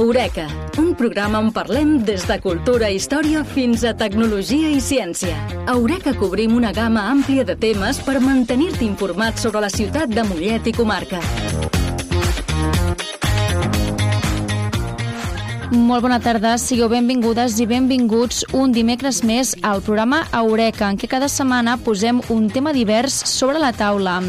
Eureka, un programa on parlem des de cultura i història fins a tecnologia i ciència. A Eureka cobrim una gamma àmplia de temes per mantenir-te informat sobre la ciutat de Mollet i comarca. Molt bona tarda, sigueu benvingudes i benvinguts un dimecres més al programa Eureka, en què cada setmana posem un tema divers sobre la taula.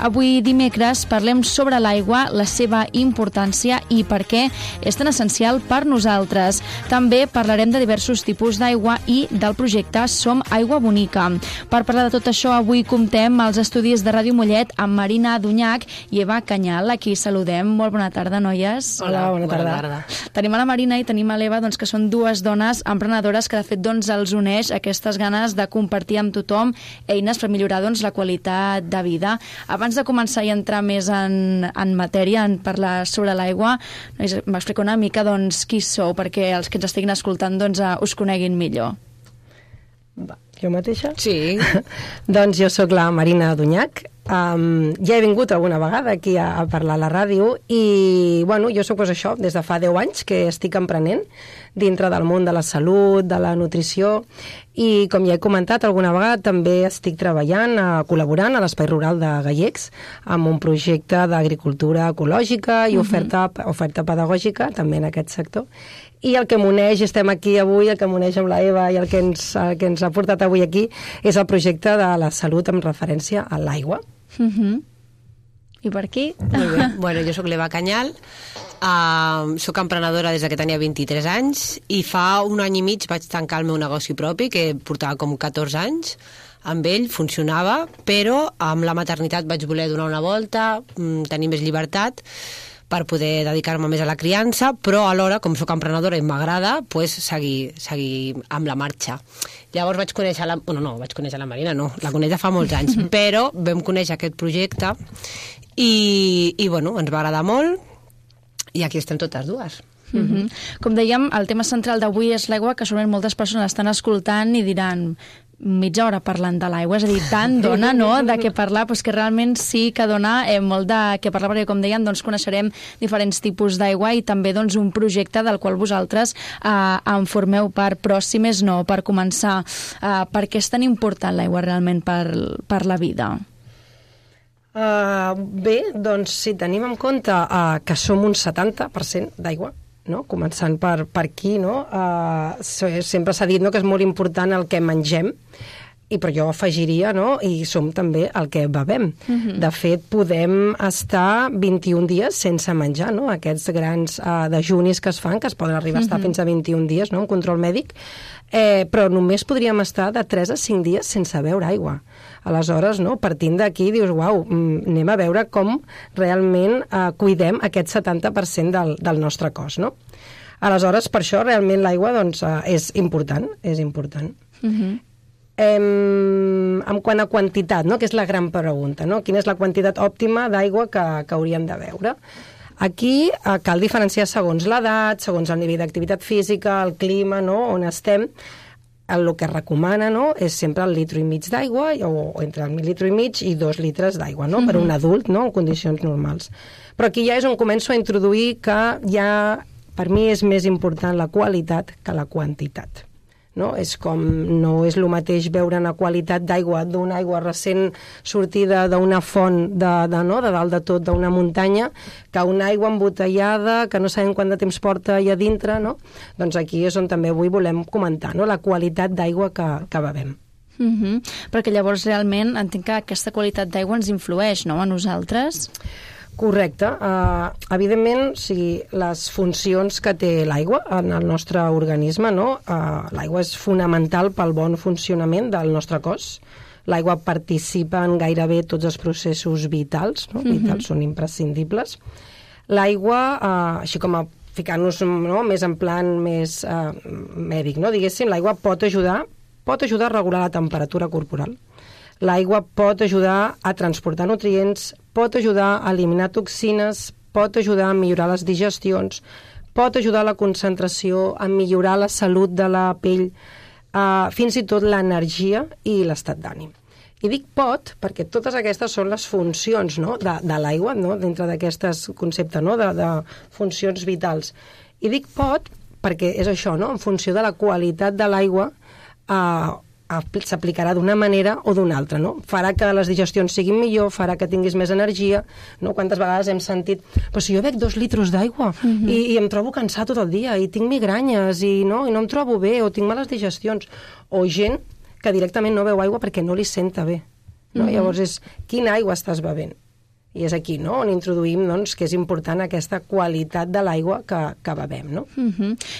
Avui dimecres parlem sobre l'aigua, la seva importància i per què és tan essencial per nosaltres. També parlarem de diversos tipus d'aigua i del projecte Som Aigua Bonica. Per parlar de tot això, avui comptem als estudis de Ràdio Mollet amb Marina Dunyac i Eva Canyal. Aquí saludem. Molt bona tarda, noies. Hola, bona tarda. Tenim a la Marina i tenim a l'Eva, que són dues dones emprenedores que de fet els uneix aquestes ganes de compartir amb tothom eines per millorar la qualitat de vida. Abans de començar i entrar més en matèria, en parlar sobre l'aigua, m'explico una mica qui sou, perquè els que ens estiguin escoltant us coneguin millor. Jo mateixa? Sí. Doncs jo sóc la Marina Dunyac. Ja he vingut alguna vegada aquí a parlar a la ràdio i, jo sóc això, des de fa 10 anys que estic emprenent dintre del món de la salut, de la nutrició i, com ja he comentat alguna vegada, també estic treballant, col·laborant a l'Espai Rural de Gallecs amb un projecte d'agricultura ecològica i oferta pedagògica també en aquest sector. I el que m'uneix, estem aquí avui, el que m'uneix amb la Eva i el que ens ha portat avui aquí és el projecte de la salut amb referència a l'aigua. I per aquí? Molt bé. Jo sóc l'Eva Canyal, sóc emprenedora des que tenia 23 anys i fa un any i mig vaig tancar el meu negoci propi, que portava com 14 anys. Amb ell funcionava, però amb la maternitat vaig voler donar una volta, tenir més llibertat per poder dedicar-me més a la criança, però alhora, com sóc emprenedora i m'agrada, seguir amb la marxa. Llavors vaig conèixer la Marina, no, la coneix fa molts anys, però vam conèixer aquest projecte i ens va agradar molt i aquí estem totes dues. Com dèiem, el tema central d'avui és l'aigua, que segurament moltes persones estan escoltant i diran mitja hora parlant de l'aigua, és a dir, tant dona, no?, de què parlar, però que realment sí que dona molt de què parlar, perquè com deien, coneixerem diferents tipus d'aigua i també un projecte del qual vosaltres en formeu part, però si més no, per començar, per què és tan important l'aigua realment per la vida? Bé, si tenim en compte que som un 70% d'aigua, no? Començant per aquí, no? Sempre s'ha dit, no?, que és molt important el que mengem, però jo afegiria, no?, i som també el que bevem. De fet, podem estar 21 dies sense menjar, no?, aquests grans dejunis que es fan, que es poden arribar a estar fins a 21 dies, no?, en control mèdic, però només podríem estar de 3 a 5 dies sense beure aigua. Aleshores, no, partint d'aquí, dius, uau, anem a veure com realment cuidem aquest 70% del nostre cos, no? Aleshores, per això realment l'aigua és important, és important. En quant a quantitat, no?, que és la gran pregunta, no? Quina és la quantitat òptima d'aigua que hauríem de beure? Aquí cal diferenciar segons l'edat, segons el nivell d'activitat física, el clima, no?, on estem. El que es recomana, no?, és sempre el litre i mig d'aigua, o entre el litre i mig i 2 litres d'aigua, no?, per un adult, no?, en condicions normals. Però aquí ja és on començo a introduir que ja, per mi, és més important la qualitat que la quantitat. No? És com, no és el mateix veure una qualitat d'aigua, d'una aigua recent sortida d'una font de dalt de tot, d'una muntanya, que una aigua embotellada, que no sabem quant de temps porta allà dintre, no? Doncs aquí és on també avui volem comentar, no?, la qualitat d'aigua que bevem. Perquè llavors realment entenc que aquesta qualitat d'aigua ens influeix, no?, a nosaltres? Correcte. Evidentment, les funcions que té l'aigua en el nostre organisme, no? L'aigua és fonamental pel bon funcionament del nostre cos. L'aigua participa en gairebé tots els processos vitals, no? Vitals són imprescindibles. L'aigua, així com a ficar-nos, no?, més en plan més mèdic, no?, diguéssim, l'aigua pot ajudar a regular la temperatura corporal. L'aigua pot ajudar a transportar nutrients, pot ajudar a eliminar toxines, pot ajudar a millorar les digestions, pot ajudar a la concentració, a millorar la salut de la pell, fins i tot l'energia i l'estat d'ànim. I dic pot perquè totes aquestes són les funcions, no?, de l'aigua, no?, dintre d'aquest concepte, no?, de funcions vitals. I dic pot perquè és això, no? En funció de la qualitat de l'aigua s'aplicarà d'una manera o d'una altra, no? Farà que les digestions siguin millor, farà que tinguis més energia, no? Quantes vegades hem sentit, però si jo bec 2 litres d'aigua i em trobo cansat tot el dia i tinc migranyes i no em trobo bé o tinc males digestions, o gent que directament no beu aigua perquè no li senta bé, no? Llavors és quina aigua estàs bevent? I és aquí, no?, on introduïm, doncs, que és important aquesta qualitat de l'aigua que bevem, no?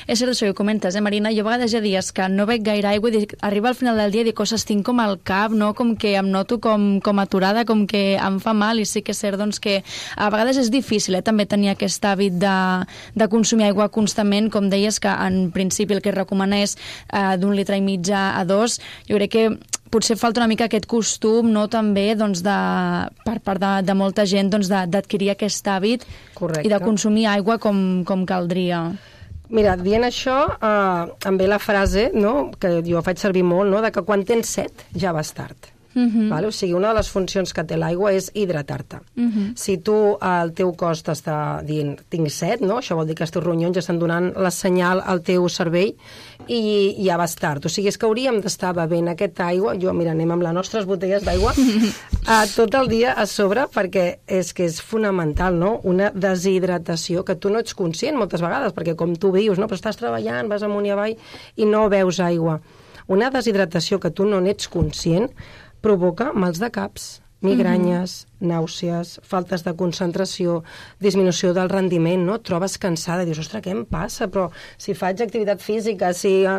És cert això que comentes, Marina? Jo a vegades hi ha dies que no bec gaire aigua i arriba al final del dia i dic, ostres, tinc com el cap, no?, com que em noto com aturada, com que em fa mal, i sí que és cert, doncs, que a vegades és difícil, també tenir aquest hàbit de consumir aigua constantment, com deies, que en principi el que es recomana és d'1,5 litres a 2. Jo crec que potser falta una mica aquest costum, no?, també, doncs, per part de molta gent, doncs, d'adquirir aquest hàbit. Correcte. I de consumir aigua com caldria. Mira, dient això, em ve la frase, no?, que jo faig servir molt, no?, de que quan tens set ja vas tard. Vale? O sigui, una de les funcions que té l'aigua és hidratar-te. Si tu, el teu cos t'està dient tinc set, no? Això vol dir que els teus ronyons ja estan donant la senyal al teu cervell i ja vas tard. O sigui, és que hauríem d'estar bevent aquesta aigua. Mira, anem amb les nostres botelles d'aigua tot el dia a sobre, perquè és que és fonamental, no?, una deshidratació que tu no ets conscient moltes vegades, perquè com tu vius, no?, però estàs treballant, vas amunt i avall i no beus aigua. Una deshidratació que tu no n'ets conscient provoca mals de caps, migranyes, nàusees, faltes de concentració, disminució del rendiment, no? Et trobes cansada i dius, ostres, què em passa? Però si faig activitat física,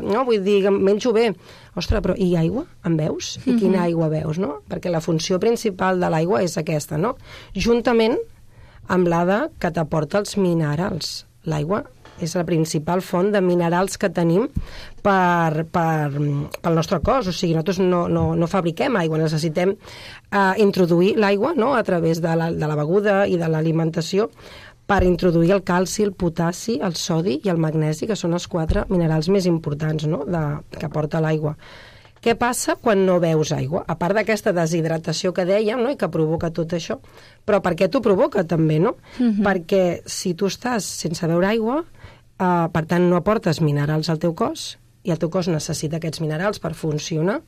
no, vull dir, menjo bé. Ostres, però i aigua? En beus? I quina aigua beus, no? Perquè la funció principal de l'aigua és aquesta, no? Juntament amb la que t'aporta els minerals. L'aigua és la principal font de minerals que tenim pel nostre cos. O sigui, nosaltres no fabriquem aigua, necessitem introduir l'aigua, no?, a través de la beguda i de l'alimentació per introduir el calci, el potassi, el sodi i el magnesi, que són els 4 minerals més importants, no?, que aporta l'aigua. Què passa quan no beus aigua? A part d'aquesta deshidratació que dèiem, no?, i que provoca tot això. Però per què t'ho provoca, també, no? Perquè si tu estàs sense beure aigua, per tant, no aportes minerals al teu cos, i el teu cos necessita aquests minerals per funcionar.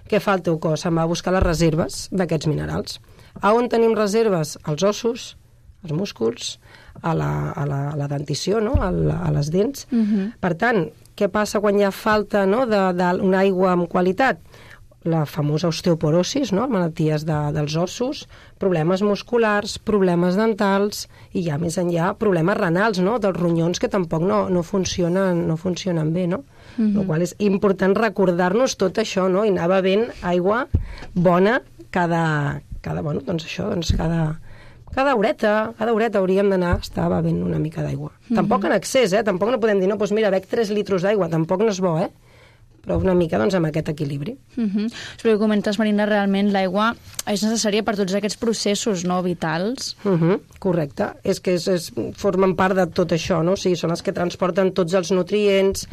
Què fa el teu cos? Se'n va a buscar les reserves d'aquests minerals. A on tenim reserves? Als ossos, als músculs, a la dentició, no?, a les dents. Per tant, què passa quan hi ha falta, no?, d'una aigua amb qualitat? La famosa osteoporosis, no?, malalties dels ossos, problemes musculars, problemes dentals i ja més enllà problemes renals, no?, dels ronyons que tampoc no funcionen bé, no? El qual és important recordar-nos tot això, no?, i anar bevent aigua bona cada horeta hauríem d'anar a estar bevent una mica d'aigua. Tampoc en excés, tampoc no podem dir, no, doncs mira, bec 3 litres d'aigua, tampoc no és bo, però una mica, doncs, amb aquest equilibri. Però que comentes, Marina, realment l'aigua és necessària per tots aquests processos, no?, vitals. Correcte. És que formen part de tot això, no? O sigui, són els que transporten tots els nutrients,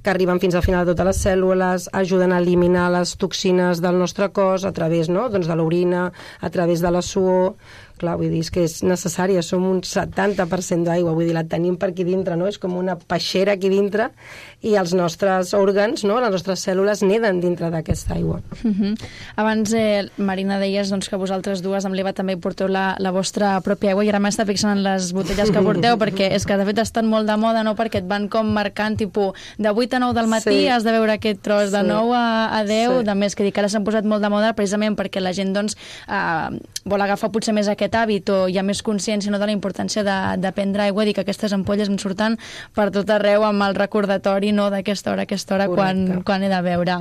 que arriben fins al final de totes les cèl·lules, ajuden a eliminar les toxines del nostre cos a través, no?, doncs, de l'orina, a través de la suor. Clar, vull dir, és que és necessària, som un 70% d'aigua, vull dir, la tenim per aquí dintre, no? És com una peixera aquí dintre i els nostres òrgans, no?, les nostres cèl·lules neden dintre d'aquesta aigua. Abans, Marina, deies doncs, que vosaltres dues, amb l'Eva, també porteu la vostra pròpia aigua, i ara m'està fixant en les botelles que porteu, perquè és que, de fet, estan molt de moda, no?, perquè et van com marcant, tipus, de 8 a 9 del matí has de beure aquest tros, de 9 a 10, de més, que dic, ara s'han posat molt de moda precisament perquè la gent, doncs, vol agafar potser més aquest hàbit, o hi ha més consciència, no?, de la importància de prendre aigua, i que aquestes ampolles em surten per tot arreu amb el recordatori, no?, d'aquesta hora, quan he de beure.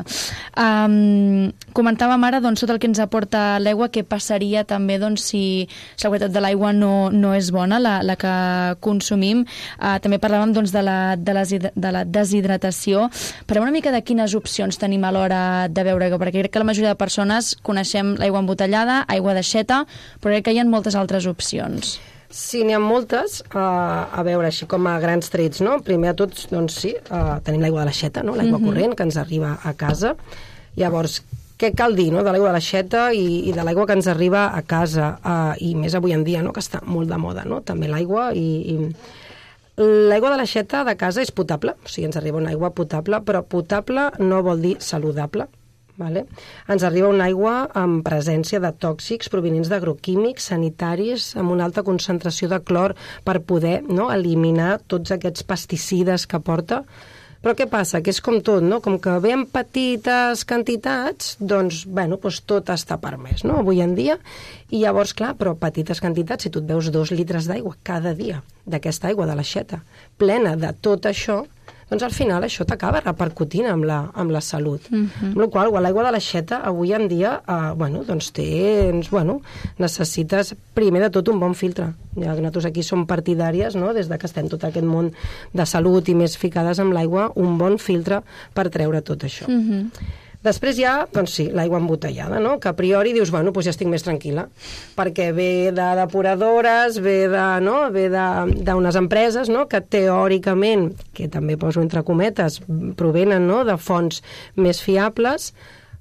Comentàvem ara, doncs, tot el que ens aporta l'aigua, què passaria també, doncs, si la qualitat de l'aigua no és bona, la que consumim. També parlàvem, doncs, de la deshidratació. Parlem una mica de quines opcions tenim a l'hora de beure aigua, perquè crec que la majoria de persones coneixem l'aigua embotellada, aigua d'aixeta, però crec que hi ha moltes altres opcions. Sí, n'hi ha moltes, a veure, així com a grans trets, no? Primer de tot, doncs sí, tenim l'aigua de l'aixeta, no?, l'aigua corrent, que ens arriba a casa. Llavors, què cal dir, no?, de l'aigua de l'aixeta i de l'aigua que ens arriba a casa, i més avui en dia, no?, que està molt de moda, no?, també l'aigua, i L'aigua de l'aixeta de casa és potable, o sigui, ens arriba una aigua potable, però potable no vol dir saludable. Vale? Ens arriba una aigua amb presència de tòxics provinents d'agroquímics, sanitaris, amb una alta concentració de clor per poder eliminar tots aquests pesticides que porta. Però què passa? Que és com tot, no? Com que ve en petites quantitats, doncs tot està permès, no? Avui en dia. I llavors, clar, però petites quantitats, si tu et veus 2 litres d'aigua cada dia, d'aquesta aigua de l'aixeta, plena de tot això, doncs al final això t'acaba repercutint amb la salut. Amb la qual cosa, l'aigua de l'aixeta avui en dia necessites primer de tot un bon filtre. Ja que nosaltres aquí som partidàries, no? Des de que estem tot aquest món de salut i més ficades amb l'aigua, un bon filtre per treure tot això. Després hi ha, doncs sí, l'aigua embotellada, no? Que a priori dius, ja estic més tranquil·la, perquè ve de depuradores, ve d'unes empreses, no? Que teòricament, que també poso entre cometes, provenen, no? De fonts més fiables,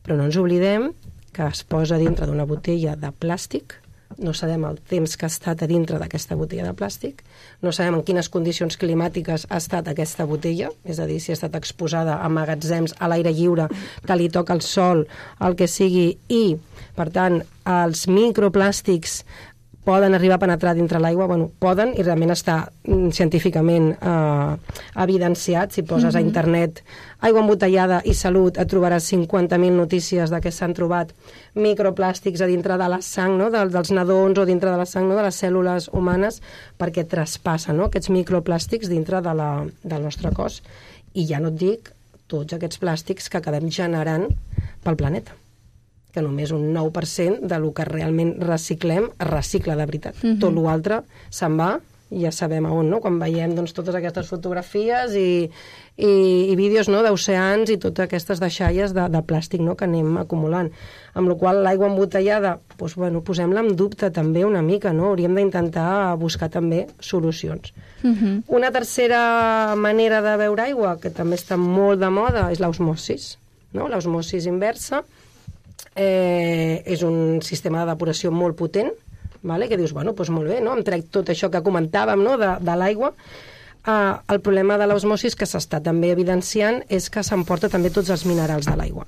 però no ens oblidem que es posa dintre d'una botella de plàstic, no sabem el temps que ha estat a dintre d'aquesta botella de plàstic, no sabem en quines condicions climàtiques ha estat aquesta botella, és a dir, si ha estat exposada a magatzems a l'aire lliure, que li toca el sol, el que sigui, i, per tant, els microplàstics poden arribar a penetrar dintre l'aigua, poden, i realment està científicament evidenciat. Si poses a internet aigua embotellada i salut, et trobaràs 50.000 notícies de què s'han trobat microplàstics a dintre de la sang, no? dels nadons, o dintre de la sang, no? De les cèl·lules humanes, perquè traspassen, no? Aquests microplàstics dintre del nostre cos. I ja no et dic tots aquests plàstics que acabem generant pel planeta, que només un 9% del que realment reciclem es recicla de veritat. Tot l'altre se'n va, ja sabem a on, no? Quan veiem totes aquestes fotografies i vídeos, no? D'oceans i totes aquestes deixalles de plàstic, no? Que anem acumulant. Amb la qual l'aigua embotellada, posem-la en dubte també una mica, no? Hauríem d'intentar buscar també solucions. Una tercera manera de beure aigua, que també està molt de moda, és l'osmosis, no? L'osmosis inversa. És un sistema de depuració molt potent, que dius, molt bé, no? Em trec tot això que comentàvem, no? de l'aigua. El problema de l'osmosis que s'està també evidenciant és que s'emporta també tots els minerals de l'aigua.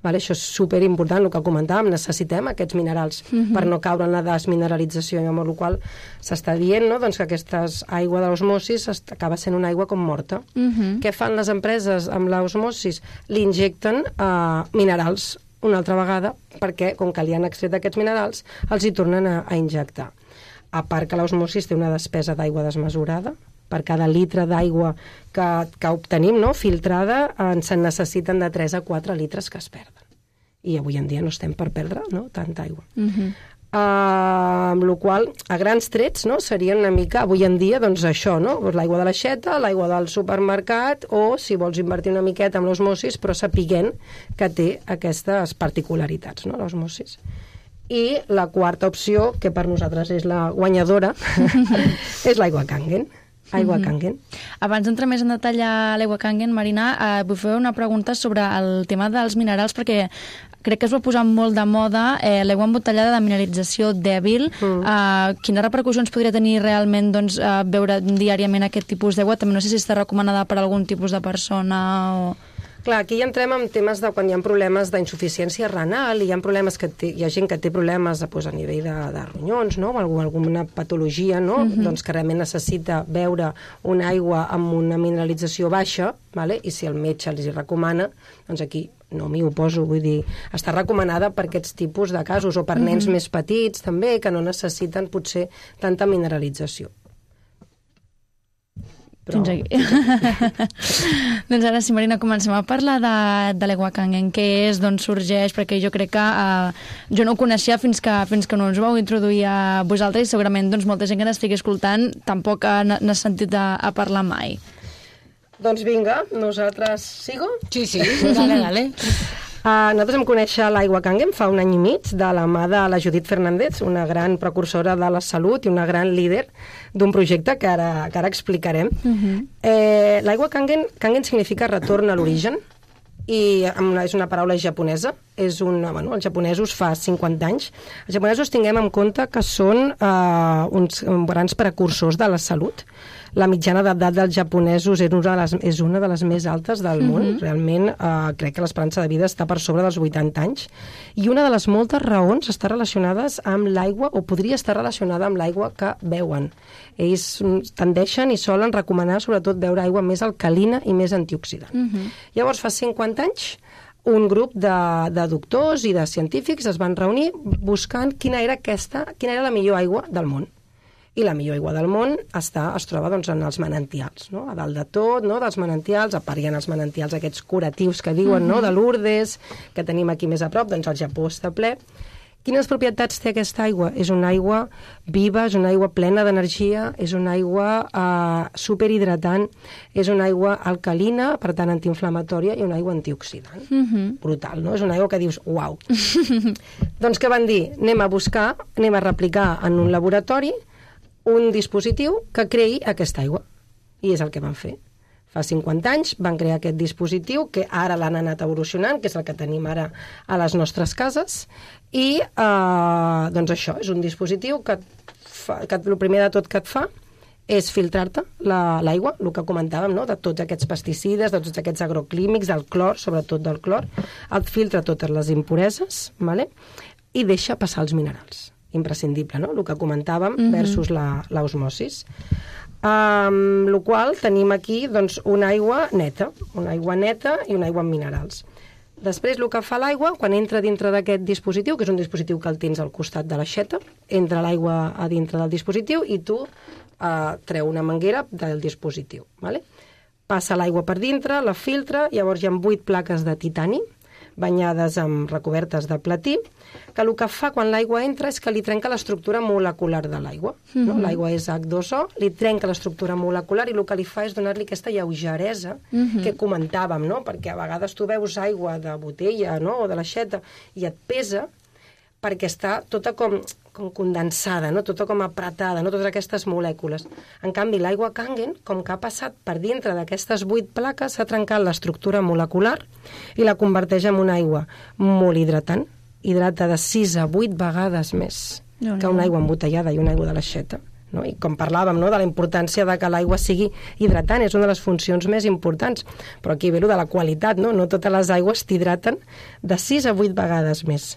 Això és superimportant, el que comentàvem, necessitem aquests minerals per no caure en la desmineralització, amb la qual s'està dient, no? Que aquesta aigua de l'osmosis acaba sent una aigua com morta. Què fan les empreses amb l'osmosis? Li injecten minerals una altra vegada, perquè, com que li han extret aquests minerals, els hi tornen a injectar. A part que l'osmosis té una despesa d'aigua desmesurada, per cada litre d'aigua que obtenim, no? Filtrada, se'n necessiten de 3 a 4 litres que es perden. I avui en dia no estem per perdre, no? Tanta aigua. Amb la qual cosa, a grans trets, no? Serien una mica, avui en dia, això, no? L'aigua de l'aixeta, l'aigua del supermercat, o si vols invertir una miqueta amb l'osmosis, però sapiguent que té aquestes particularitats, no? L'osmosis. I la quarta opció, que per nosaltres és la guanyadora, és l'aigua Kangen. Aigua Kangen. Abans d'entrar més en detall a l'aigua Kangen, Marina, vull fer una pregunta sobre el tema dels minerals, perquè crec que es va posar molt de moda l'aigua embotellada de mineralització dèbil. Quines repercussions podria tenir realment beure diàriament aquest tipus d'aigua? També no sé si està recomanada per algun tipus de persona o... Clar, aquí ja entrem en temes de quan hi ha problemes d'insuficiència renal, i hi ha problemes hi ha gent que té problemes a nivell de ronyons, no? O alguna patologia, no? Doncs que realment necessita beure una aigua amb una mineralització baixa, i si el metge els hi recomana, doncs aquí no m'hi oposo, vull dir, està recomanada per aquests tipus de casos, o per nens més petits també, que no necessiten potser tanta mineralització. Fins aquí. Doncs ara sí, Marina, comencem a parlar de l'aigua Kangen, què és, d'on sorgeix, perquè jo crec que jo no ho coneixia fins que no ens ho vau introduir a vosaltres, i segurament molta gent que n'estigui escoltant tampoc n'ha sentit a parlar mai. Doncs vinga, nosaltres... Sigo? Sí, dale. Nosaltres vam conèixer l'aigua Kangen fa un any i mig de la mà de la Judit Fernández, una gran precursora de la salut i una gran líder d'un projecte que ara explicarem. L'aigua Kangen significa retorn a l'origen, i és una paraula japonesa, és els japonesos fa 50 anys. Els japonesos tinguem en compte que són uns grans precursors de la salut. La mitjana d'edat dels japonesos és una de les més altes del món. Realment crec que l'esperança de vida està per sobre dels 80 anys. I una de les moltes raons està relacionades amb l'aigua, o podria estar relacionada amb l'aigua que beuen. Ells tendeixen i solen recomanar sobretot beure aigua més alcalina i més antioxidant. Llavors, fa 50 anys, un grup de doctors i de científics es van reunir buscant quina era la millor aigua del món. I la millor aigua del món es troba en els manantials, no? A dalt de tot, no? Dels manantials, a part hi ha els manantials aquests curatius que diuen, no? De Lourdes, que tenim aquí més a prop, doncs el Japó està ple. Quines propietats té aquesta aigua? És una aigua viva, és una aigua plena d'energia, és una aigua superhidratant, és una aigua alcalina, per tant antiinflamatòria, i una aigua antioxidant. Brutal, no? És una aigua que dius, uau. Doncs què van dir? Anem a replicar en un laboratori un dispositiu que creï aquesta aigua. I és el que van fer. Fa 50 anys van crear aquest dispositiu que ara l'han anat evolucionant, que és el que tenim ara a les nostres cases, i doncs això, és un dispositiu que el primer de tot que et fa és filtrar-te l'aigua, el que comentàvem, no? De tots aquests pesticides, de tots aquests agroclímics, del clor, sobretot del clor, et filtra totes les impureses, vale? I deixa passar els minerals. Imprescindible, no? El que comentàvem versus l'osmosis. Amb la qual tenim aquí doncs, una aigua neta i una aigua amb minerals. Després, el que fa l'aigua, quan entra dintre d'aquest dispositiu, que és un dispositiu que el tens al costat de l'aixeta, entra l'aigua a dintre del dispositiu i tu treu una manguera del dispositiu. Vale? Passa l'aigua per dintre, la filtra, llavors hi ha 8 plaques de titani, banyades amb recobertes de platí, que el que fa quan l'aigua entra és que li trenca l'estructura molecular de l'aigua. No? L'aigua és H2O, li trenca l'estructura molecular i el que li fa és donar-li aquesta lleugeresa que comentàvem, no? Perquè a vegades tu veus aigua de botella, no? O de l'aixeta i et pesa perquè està tota com condensada, no? Tota com apretada, no? Totes aquestes molècules. En canvi, l'aigua Kangen, com que ha passat per dintre d'aquestes 8 plaques, s'ha trencat l'estructura molecular i la converteix en una aigua molt hidratant, hidrata de 6 a 8 vegades més que una aigua embotellada i una aigua de l'aixeta. No? I com parlàvem, no? De la importància de que l'aigua sigui hidratant, és una de les funcions més importants, però aquí ve de la qualitat, no? No totes les aigües t'hidraten de 6 a 8 vegades més.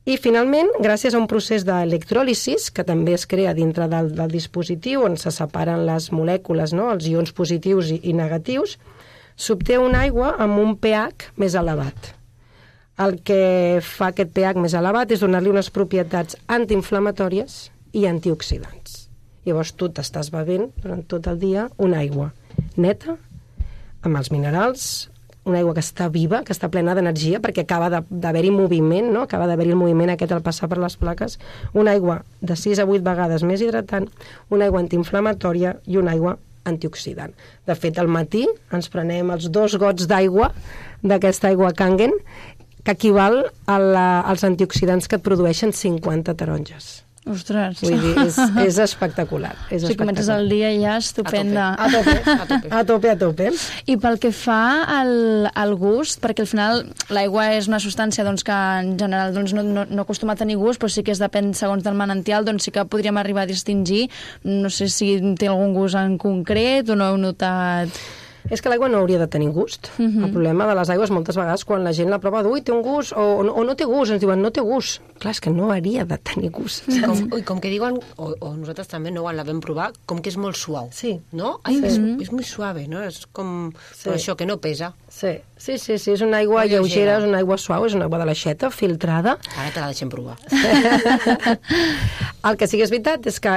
I finalment, gràcies a un procés d'electròlisis, que també es crea dintre del dispositiu, on se separen les molècules, no? Els ions positius i negatius, s'obté una aigua amb un pH més elevat. El que fa aquest pH més elevat és donar-li unes propietats antiinflamatòries i antioxidants. Llavors tu t'estàs bevent durant tot el dia una aigua neta, amb els minerals, una aigua que està viva, que està plena d'energia, perquè acaba d'haver-hi moviment, no? Acaba d'haver-hi el moviment aquest al passar per les plaques, una aigua de 6 a 8 vegades més hidratant, una aigua antiinflamatòria i una aigua antioxidant. De fet, al matí ens prenem els 2 gots d'aigua d'aquesta aigua Kangen, que equival als antioxidants que et produeixen 50 taronges. Ostres. Vull dir, és espectacular. Si comences el dia ja estupenda. A tope. I pel que fa al gust, perquè al final l'aigua és una substància doncs, que en general doncs, no acostuma a tenir gust, però sí que depèn segons del manantial, doncs sí que podríem arribar a distingir. No sé si té algun gust en concret o no heu notat... És que l'aigua no hauria de tenir gust. El problema de les aigües moltes vegades quan la gent la prova, ui, té un gust, o no té gust, ens diuen, no té gust. Clar, és que no hauria de tenir gust. Com que diuen, o nosaltres també no la vam provar, com que és molt suau. Sí. No? Ai, és molt suave, no? És com... Sí. Però això, que no pesa. Sí, és una aigua lleugera, és una aigua suau, és una aigua de l'aixeta, filtrada. Ara te la deixem provar. El que sí que és veritat és que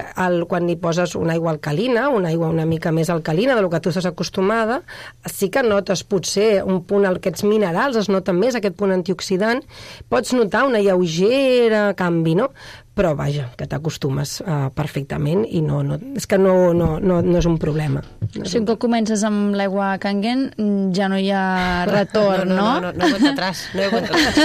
quan hi poses una aigua alcalina, una aigua una mica més alcalina del que tu estàs acostumada, sí que notes potser un punt, aquests minerals es noten més, aquest punt antioxidant, pots notar una lleugera canvi, no? Però vaja, que t'acostumes perfectament i és que no és un problema. Si un cop comences amb l'aigua Kangen ja no hi ha retorn, no? No hi ha atrás, no hi ha atrás.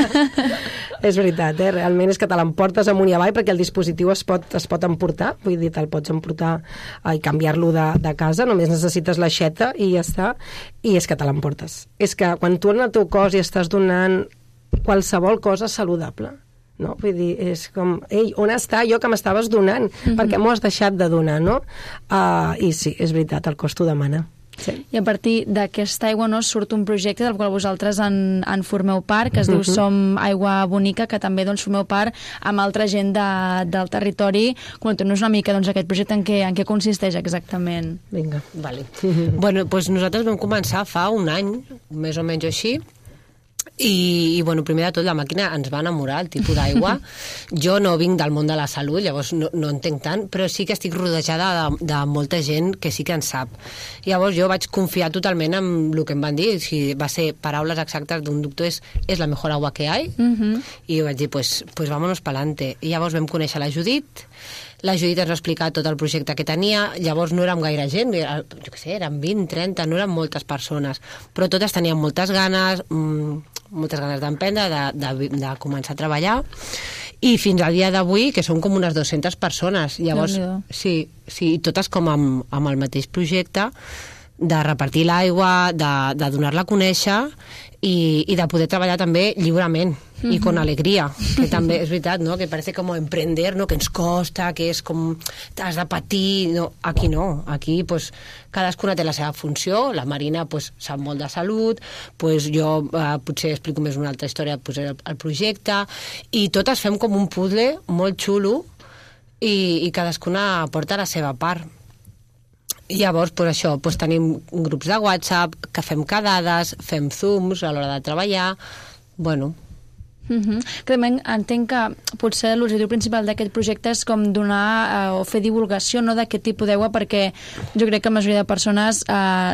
És veritat, realment és que te l'emportes amunt i avall perquè el dispositiu es pot emportar, vull dir, te'l pots emportar i canviar-lo de casa, només necessites l'aixeta i ja està, i és que te l'emportes. És que quan tu en el teu cos hi estàs donant qualsevol cosa saludable. No? Vull dir, és com, ei, on està allò que m'estaves donant? Per què m'ho has deixat de donar, no? I sí, és veritat, el cost ho demana. Sí. I a partir d'aquesta aigua surt un projecte del qual vosaltres en formeu part, que es diu Som Aigua Bonica, que també formeu part amb altra gent del territori. Comenteu-nos una mica aquest projecte en què consisteix exactament. Vinga. Vale. Bueno, doncs nosaltres vam començar fa un any, més o menys així, i bueno, primer de tot la màquina ens va enamorar, el tipus d'aigua. Jo no vinc del món de la salut, llavors no entenc tant, però sí que estic rodejada de molta gent que sí que en sap. Llavors jo vaig confiar totalment en el que em van dir, va ser paraules exactes d'un doctor, és la millor agua que hay, i jo vaig dir, pues vámonos pa'lante. I llavors vam conèixer la Judit ens va explicar tot el projecte que tenia, llavors no érem gaire gent, jo què sé, eren 20, 30, no eren moltes persones, però totes tenien moltes ganes d'emprendre, de començar a treballar, i fins al dia d'avui, que són com unes 200 persones, llavors, sí, totes com amb el mateix projecte, de repartir l'aigua, de donar-la a conèixer i de poder treballar també lliurement i con alegria, que també és veritat, no? Que parece como emprender, no? Que ens costa, que és com has de patir, no, aquí pues, cadascuna té la seva funció, la Marina pues, sap molt de salut, pues, jo potser explico més una altra història pues, el projecte, i totes fem com un puzzle molt xulo i cadascuna porta la seva part. I llavors, pues això, pues tenim grups de WhatsApp, que fem quedades, fem Zooms a l'hora de treballar, bueno... Clarament, entenc que potser l'objectiu principal d'aquest projecte és com donar o fer divulgació d'aquest tipus d'aigua, perquè jo crec que la majoria de persones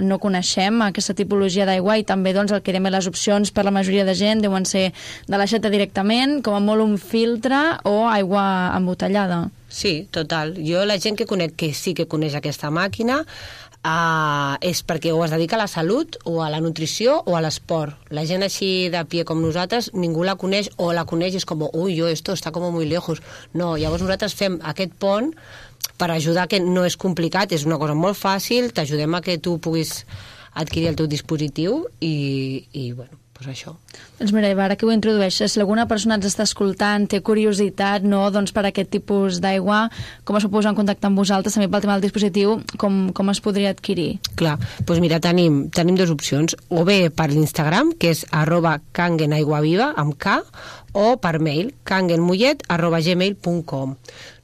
no coneixem aquesta tipologia d'aigua, i també el que dèiem les opcions per la majoria de gent deuen ser de l'aixeta directament, com a molt un filtre o aigua embotellada. Sí, total. Jo la gent que conec que sí que coneix aquesta màquina és perquè o es dedica a la salut o a la nutrició o a l'esport. La gent així de pie com nosaltres, ningú la coneix, o la coneix i és com, ui, esto está como muy lejos. No, llavors nosaltres fem aquest pont per ajudar, que no és complicat, és una cosa molt fàcil, t'ajudem a que tu puguis adquirir el teu dispositiu i bueno, pues això. Doncs mira, Eva, ara que ho introdueixes, si alguna persona ens està escoltant, té curiositat per aquest tipus d'aigua, com es pot posar en contacte amb vosaltres, també pel tema del dispositiu, com es podria adquirir? Clar, doncs mira, tenim dues opcions, o bé per l'Instagram, que és @kangenaiguaviva, amb K, o per mail, kangenmollet@gmail.com.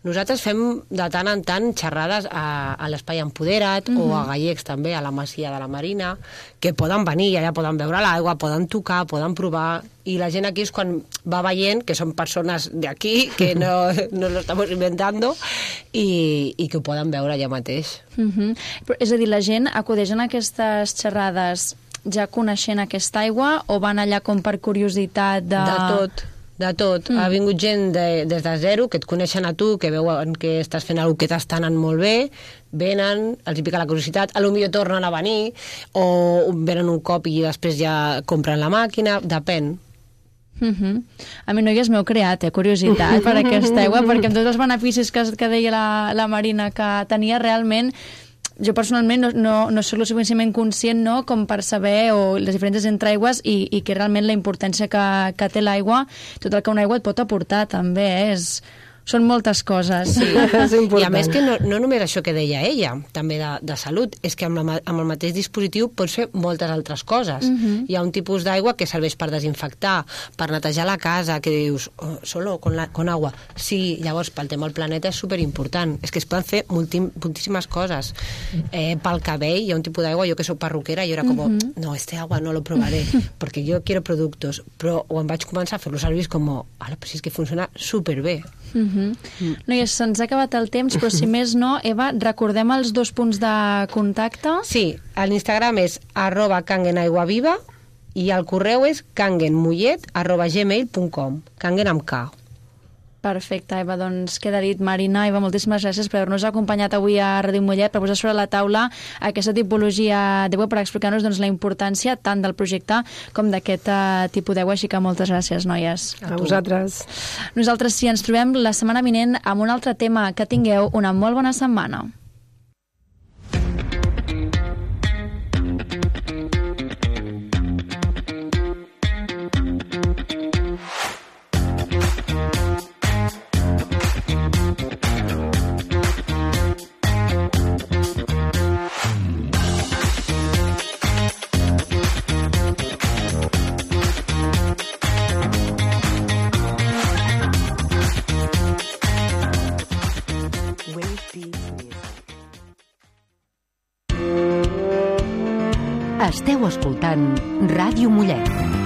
Nosaltres fem de tant en tant xerrades a l'Espai Empoderat o a Gallecs també, a la Masia de la Marina, que poden venir i allà poden veure l'aigua, poden tocar, poden provar, i la gent aquí és quan va veient que són persones d'aquí, que no lo estamos inventando, i que ho poden veure allà mateix. Però, és a dir, la gent acudeix en aquestes xerrades ja coneixent aquesta aigua, o van allà com per curiositat de... De tot. Ha vingut gent des de zero, que et coneixen a tu, que veuen que estàs fent alguna cosa que t'està anant molt bé, venen, els hi pica la curiositat, potser tornen a venir, o venen un cop i després ja compren la màquina, depèn. A mi, noies, m'heu creat curiositat per aquesta aigua, perquè amb tots els beneficis que deia la Marina que tenia, realment jo personalment no soc lo suficientment conscient com per saber les diferències entre aigües i que realment la importància que té l'aigua, tot el que una aigua et pot aportar també, són moltes coses. Sí, és important. I a més que no només això que deia ella, també de salut, és que amb el mateix dispositiu pots fer moltes altres coses. Hi ha un tipus d'aigua que serveix per desinfectar, per netejar la casa, que dius, solo con agua. Sí, llavors pel tema del planeta és superimportant. És que es poden fer moltíssimes coses. Pel cabell hi ha un tipus d'aigua, jo que soc perruquera, jo era com, no, este agua no lo probaré, perquè jo quiero productos, però quan vaig començar a fer-lo servir és com, però si és que funciona superbé. Noies, se'ns ha acabat el temps, però si més no, Eva, recordem els 2 punts de contacte? Sí, l'Instagram és @kangenaiguaviva i el correu és kangenmollet@gmail.com, Kangen amb K. Perfecte, Eva, doncs queda dit. Marina, Eva, moltíssimes gràcies per haver-nos acompanyat avui a Ràdio Mollet, per posar sobre la taula aquesta tipologia d'aigua, per explicar-nos la importància tant del projecte com d'aquest tipus d'aigua, així que moltes gràcies, noies. A vosaltres. Nosaltres sí, ens trobem la setmana vinent amb un altre tema. Que tingueu una molt bona setmana. Esteu escoltant Ràdio Mollet.